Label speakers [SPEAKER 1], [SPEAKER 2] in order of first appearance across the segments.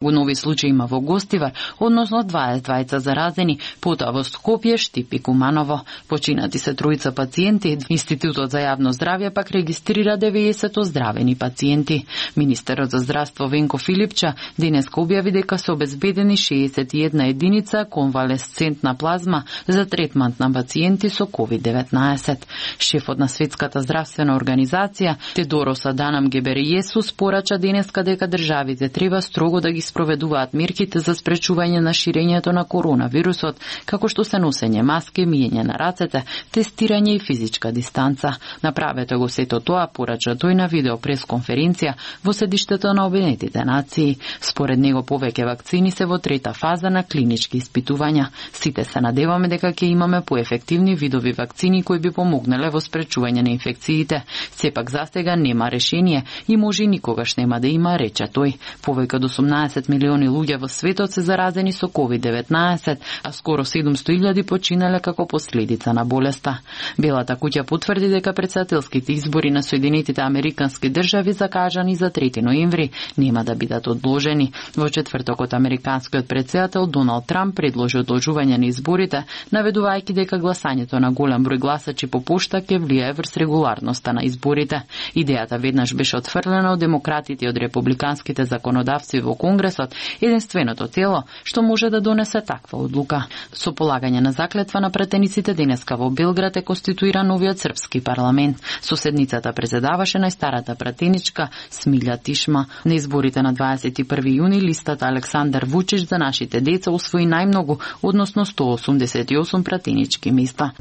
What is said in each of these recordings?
[SPEAKER 1] Нови случаи има во Гостивар, односно 22 заразени, потоа во Скопје, Штип и Куманово. Починати се тројца пациенти, Институтот за јавно здравје пак регистрира 90 оздравени пациенти. Министерот за здравство Венко Филипча денеска објави дека се обезбедени 61 единица конвалесцентна плазма за третмант на пациенти со COVID-19. Шефот на Светската здравствена организација Тедорос Аданам Гебрејесус порача денеска дека државите треба строго да ги спроведуваат мерките за спречување на ширењето на коронавирусот, како што се носење маски, миење на рацете, тестирање и физичка дистанца. Направете го сето тоа, порача тој на видео пресконференција во седиштето на Обединетите нации. Според него повеќе вакцини се во трета фаза на клинички испитувања. Сите се надеваме дека ќе имаме поефективни видови вакцини кои би помогнале во спречување на инфекциите. Сепак застега нема решение и може и никогаш нема да има, рече тој. Повеќе од 18 милиони луѓе во светот се заразени со COVID-19, а скоро 700.000 починале како последица на болеста. Белата куќа потврди дека претседателските избори на Соединетите Американски држави закажани за 3 ноември нема да бидат одложени. Во четвртокот американскиот претседател Доналд Трамп предложи одложување на изборите, наведувајќи дека гласањето на голем број гласачи по пошта ќе влијае врз регуларноста на изборите. Идејата веднаш беше отфрлена од демократите и од републиканските законодавци во Конгресот, единственото тело што може да донесе таква одлука. Со полагање на заклетва на пратениците денеска во Белград е конституира новиот српски парламент. Соседницата председаваше најстарата пратеничка Смилја Тишма. На изборите на 21 јуни листата Александар Вучич за нашите деца усвои најмногу, односно 188 пратенички места.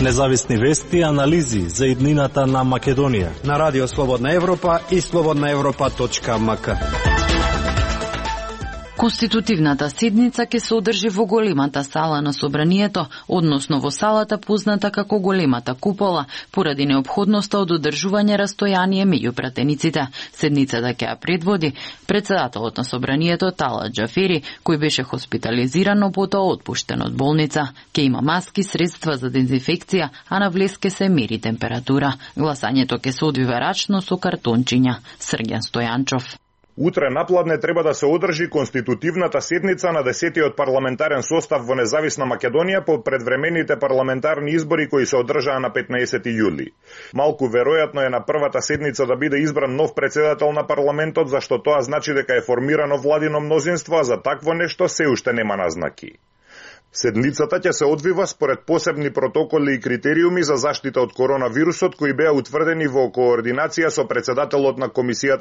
[SPEAKER 2] Независни вести и анализи за иднината на Македонија
[SPEAKER 3] на Радио Слободна Европа и slobodnaevropa.mk.
[SPEAKER 1] Конститутивната седница ќе се одржи во големата сала на собранието, односно во салата позната како големата купола, поради неопходноста од одржување растојание меѓу пратениците. Седницата ќе ја предводи председателот на собранието Талат Џафери, кој беше хоспитализиран, но потоа отпуштен од болница. Ќе има маски, средства за дезинфекција, а на влез ќе се мери температура. Гласањето ќе се одвива рачно со картончиња. Срѓан Стојанчов.
[SPEAKER 4] Утре напладне треба да се одржи конститутивната седница на 10-тиот парламентарен состав во независна Македонија по предвремените парламентарни избори кои се одржаа на 15 јули. Малку веројатно е на првата седница да биде избран нов председател на парламентот, зашто тоа значи дека е формирано владино мнозинство, а за такво нешто се уште нема назнаки. Седницата ќе се одвива според посебни протоколи и критериуми за заштита од коронавирусот кои беа утврдени во координација со председателот на Комисијата